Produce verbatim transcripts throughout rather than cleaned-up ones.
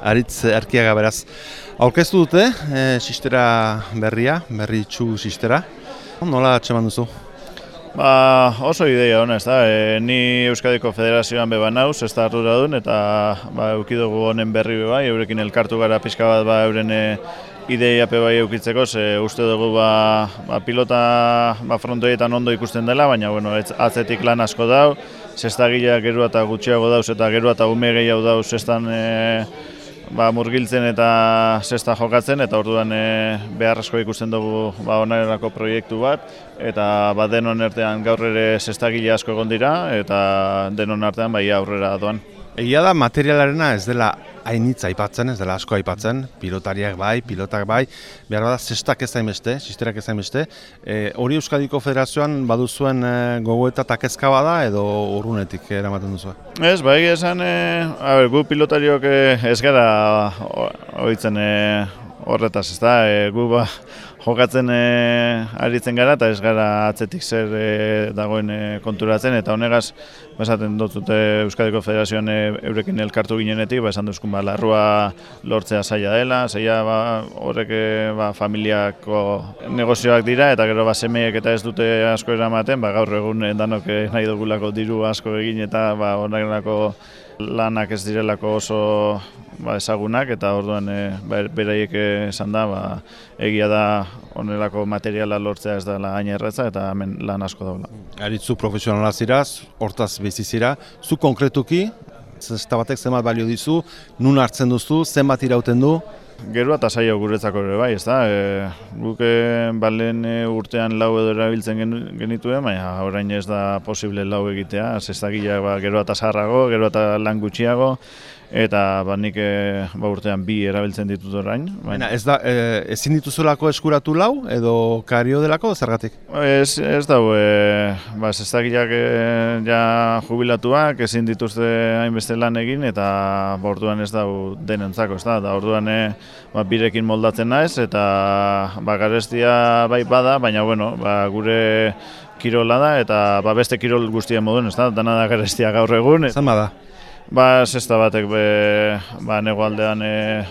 Aritz Erkiaga beraz. Aurkeztu dute, e, sistera berria, berritxu sistera. Nola atxeman duzu? Ba, oso ideia hona, ez da. E, ni Euskadiko Federazioan beba nauz, ez da arduradun, eta ba, eukidugu honen berri beba, eurekin elkartu gara pixka bat ba, euren e, ideia pe bai eukitzeko, ze uste dugu ba, ba, pilota ba, frontoietan ondo ikusten dela, baina bueno, ez, atzetik lan asko dau, zestagilea gero eta gutxiago dauz, eta gero eta ume gehiago dauz zestan e, ba, murgiltzen eta zesta jokatzen, eta orduan e, beharrezko ikusten dugu ba, onerako proiektu bat, eta ba, denon artean gaur ere zestagile asko egon dira, eta denon artean bai aurrera doan. Egia da materialarena ez dela hainitza aipatzen, ez dela asko aipatzen, pilotariak bai, pilotak bai, behar bada zestak ez hainbeste, sisterak ez hainbeste. E, hori Euskadiko Federazioan baduzuen e, gogoeta eta kezka bada edo urrunetik eramaten duzu? Ez, bai esan, e, a ber, gu pilotariok e, ez gara ohitzen e, horretaz, ez da, e, gu ba, jokatzen e, aritzen gara eta ez gara atzetik zer e, dagoen e, konturatzen, eta honegaz esaten dut dute Euskadiko Federazioan e, eurekin elkartu ginenetik, ba, esan duzkun ba, larrua lortzea zaila dela, zaila ba, horrek e, ba, familiako negozioak dira, eta gero ba, semeiek eta ez dute asko eramaten, ba, gaur egun danok nahi dugulako diru asko egin eta ba, honelako lanak ez direlako oso ba, ezagunak, eta orduan e, beraiek esan da, ba, egia da honelako materiala lortzea ez dela hain erretza, eta hemen lan asko daula. Aritzu profesionala ziraz, hortaz bizi zira, zu konkretuki, zesta batek zenbat balio dizu, nun hartzen duzu, zenbat irauten du? Gero eta zaila guretzako ere bai, ez da, e, guk balen urtean lau edo erabiltzen genituen, baina orain ez da posible lau egitea, zestagileak ba, gero eta zaharrago, gero eta lan gutxiago, eta ba, nik e, ba, urtean bi erabiltzen ditut orain. Baina ez da, e, ezin dituzulako eskuratu lau edo kario delako zergatik? Ez, ez dau, e, ba, zestagileak e, ja jubilatuak, ezin dituzte hainbeste lan egin, eta ba, orduan ez dau denentzako, ez da, da orduan e, ba, birekin moldatzen naiz, eta ba, garestia bai bada, baina bueno, ba, gure kirola da, eta ba, beste kirol guztien moduen, ez da, dana da garestia gaur egun. Zan bada? Ba, zesta batek be, ba, nego aldean e,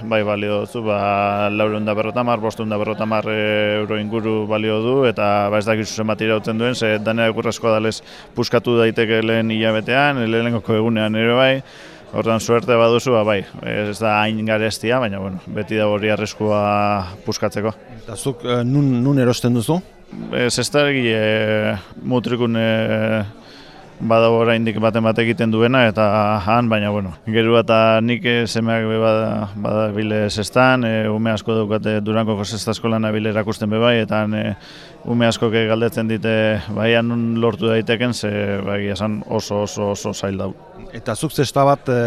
bai balio dutzu, ba, laureun da berrotamar, bosteun da berrotamar e, euro inguru balio du, eta ba, ez dakizu zenbat irauten duen, ze dana egurrezko adalez puskatu daiteke lehen hilabetean, lehenengoko egunean ere bai, orduan suerte baduzu, ba, bai, ez da hain garestia, baina bueno, beti da hori arriskua puskatzeko. Eta zuk e, nun, nun erosten duzu? Ez ez da egile mutrikun e, badago oraindik baten bat egiten duena, eta han, baina bueno, gero eta nik semeak be bada, bada bile zestan, e, ume asko daukate Durangoko zesta eskolan abile erakusten be bai, eta e, ume asko galdetzen dite baian nun lortu daiteken, ze bai esan oso oso oso zail dau. Eta zuk zesta bat e,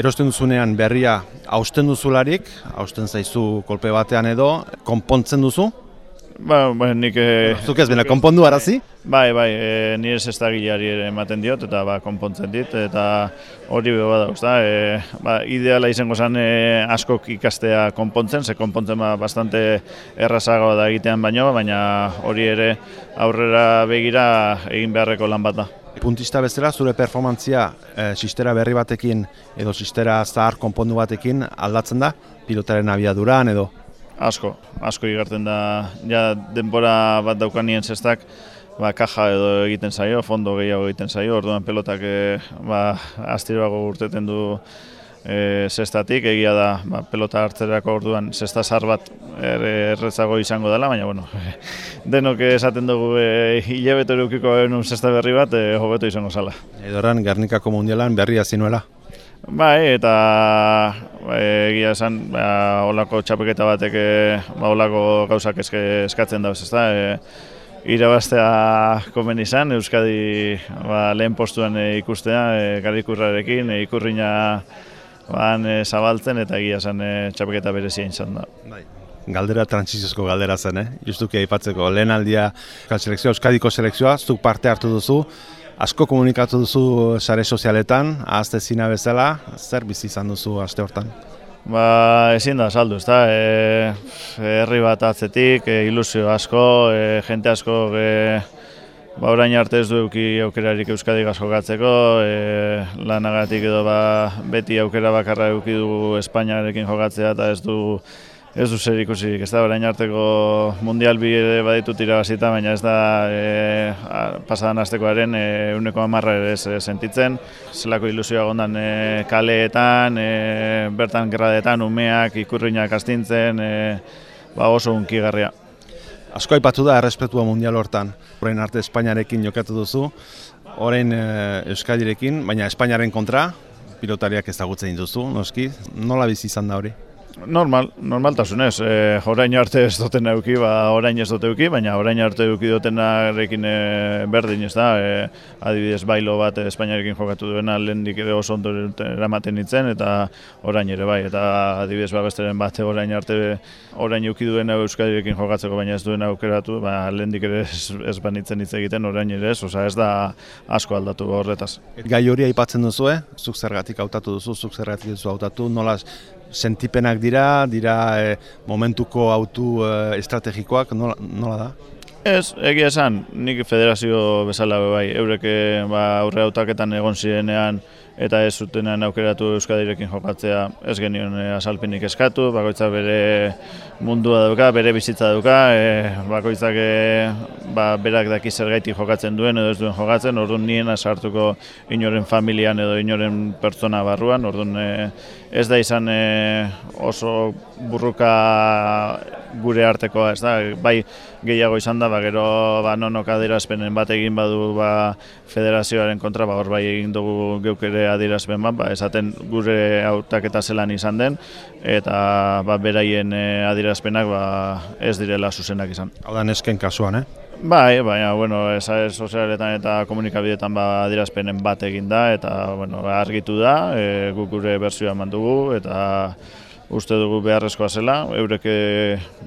erosten duzunean berria hausten duzularik, hausten zaizu kolpe batean edo, konpontzen duzu? Ba, ba, nik... E, Zuk ez bena, konpondu arazi? Bai, bai, e, nire zestagileari ere ematen diot, eta ba, konpontzen dit, eta hori beba dauz da. E, ba, ideala izango zen e, askok ikastea konpontzen, ze konpontzen ba, bastante errazagoa da egitean baino, baina hori ere aurrera begira egin beharreko lan bat da. Puntista bezala, zure performantzia e, sistera berri batekin edo sistera zahar konpondu batekin aldatzen da? Pilotaren abiaduran edo? Asko, asko igartzen da, ja denbora bat daukanien zestak, ba, kaja edo egiten zaio, fondo gehiago egiten zaio, orduan pelotak e, ba, astiroago urteten du e, zestatik, egia da ba, pelota hartzerako orduan zesta zar bat er, erretzago izango dela, baina bueno, denok esaten dugu e, hilabete edukiko genuen zesta berri bat, e, hobeto izango zala. Edoran, Gernikako mundialan berria zinuela? Bai, eta egia esan, ba, olako txapeketa batek ba, olako gauzak eske, eskatzen dauz, ezta? E, irabaztea komen izan, Euskadi ba, lehen postuan e, ikustea, e, Garikurrarekin, e, ikurriña ban, e, zabaltzen, eta egia esan e, txapeketa berezia izan da. Bai. Galdera trantsiziozko galdera zen, eh? Justuki aipatzeko, lehen aldia selekzioa, Euskadiko selekzioa, zuk parte hartu duzu, asko komunikatu duzu sare sozialetan, ahazte zina bezala, zer bizi izan duzu aste hortan? Ba, ezin da saldu, ezta, e, herri bat atzetik, e, ilusio asko, e, jente asko e, ba, orain arte ez du eduki aukerarik Euskadigaz jokatzeko, e, lanagatik edo ba, beti aukera bakarra eduki du Espainiarekin jokatzea eta ez du Ez du zer ikusirik, ez da, orain arteko mundial bi ere baditut irabazita, baina ez da e, pasadan astekoaren ehuneko hamarra ere ez sentitzen. Zelako ilusioa gondan e, kaleetan, e, bertan gerradetan, umeak, ikurriñak astintzen, e, ba oso hunkigarria. Asko aipatu da errespetua mundial hortan. Orain arte Espainiarekin jokatu duzu, orain e, Euskadirekin, baina Espainiaren kontra, pilotariak ezagutzen dituzu, noski, nola bizi izan da hori? Normal, normaltasunez. E, orain arte ez duten eduki, ba, orain ez dut eduki, baina orain arte eduki dutenarekin e, berdin, ez da. E, adibidez, bailo bat Espainiarekin jokatu duena lehendik ere oso ondo eramaten nintzen, eta orain ere bai. Eta adibidez, ba, besteren bat orain arte orain eduki duena Euskadirekin jokatzeko, baina ez duena aukeratu, ba, lehendik ere ez, ez banitzen hitz egiten, orain ere ez, oza, ez da asko aldatu horretaz. Gai hori aipatzen duzu, eh? Zuk zergatik hautatu duzu, zuk zergatik duzu hautatu, nola sentipenak dira, dira e, momentuko autu e, estrategikoak, nola, nola da? Ez, egia esan, nik federazio bezala bai, eurek ba, aurre hautaketan egon zirenean eta ez zutenean aukeratu Euskadirekin jokatzea ez genion e, azalpenik eskatu, bakoitzak bere mundua dauka, bere bizitza dauka, e, bakoitzak e, ba, berak daki zergaitik jokatzen duen edo ez duen jokatzen, orduan nien sartuko inoren familian edo inoren pertsona barruan, orduan e, ez da izan e, oso burruka gure artekoa, ez da, bai gehiago izan da, ba, gero ba, nonok adierazpenen bat egin badu ba, federazioaren kontra, ba, hor bai egin dugu geuk ere adierazpen bat, ba, esaten gure hautaketa zelan izan den, eta ba, beraien e, adierazpenak ba, ez direla zuzenak izan. Hau da nesken kasuan, eh? Bai, baina, bueno, sare sozialetan eta komunikabideetan ba, adierazpenen bat egin da, eta bueno, argitu da, e, guk gure bertsioa eman dugu, eta uste dugu beharrezkoa zela, eurek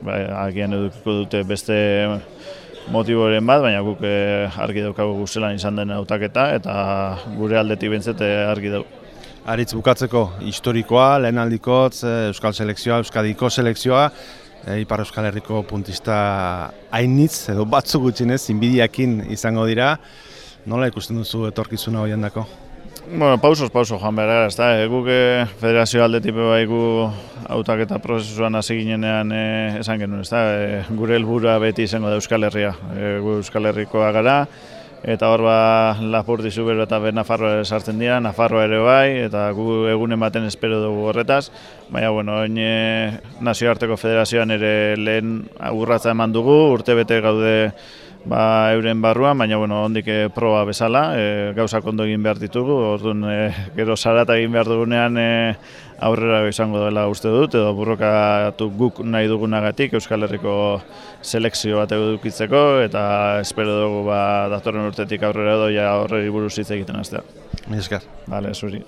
ba, agian edukiko dute beste motiboren bat, baina guk argi daukagu zelan izan den hautaketa eta gure aldetik bentzete argi dugu. Aritz, bukatzeko historikoa, lehenaldikotz, Euskal Selekzioa, Euskadiko Selekzioa, e, Ipar Euskal Herriko puntista hainitz, edo batzuk gutxinez, inbidiakin izango dira. Nola ikusten duzu etorkizuna hoian dako? Bueno, pausos, pauso joan behar gara, ez da, e, guk e, federazio aldetik bai gu hautaketa prozesuan hasi ginenean e, esan genuen, ez da, e, gure helburua beti izango da Euskal Herria, e, gu Euskal Herrikoa gara, eta hor ba Lapurdi, Zubero eta Nafarroa sartzen dira, Nafarroa ere bai, eta gu egunen baten espero dugu horretaz, baina, bueno, oin e, nazioarteko federazioan ere lehen urratza eman dugu, urte bete gaude ba, euren barruan, baina bueno, ondik e, proba bezala, e, gauzak ondo egin behar ditugu, orduan e, gero zarata egin behar dugunean e, aurrera izango dela uste dut, edo burrokatu guk nahi dugunagatik Euskal Herriko selekzio bat edukitzeko, eta espero dugu ba, datorren urtetik aurrera doia horreri buruz hitz egiten hastea. Mila esker. Bale, zuri.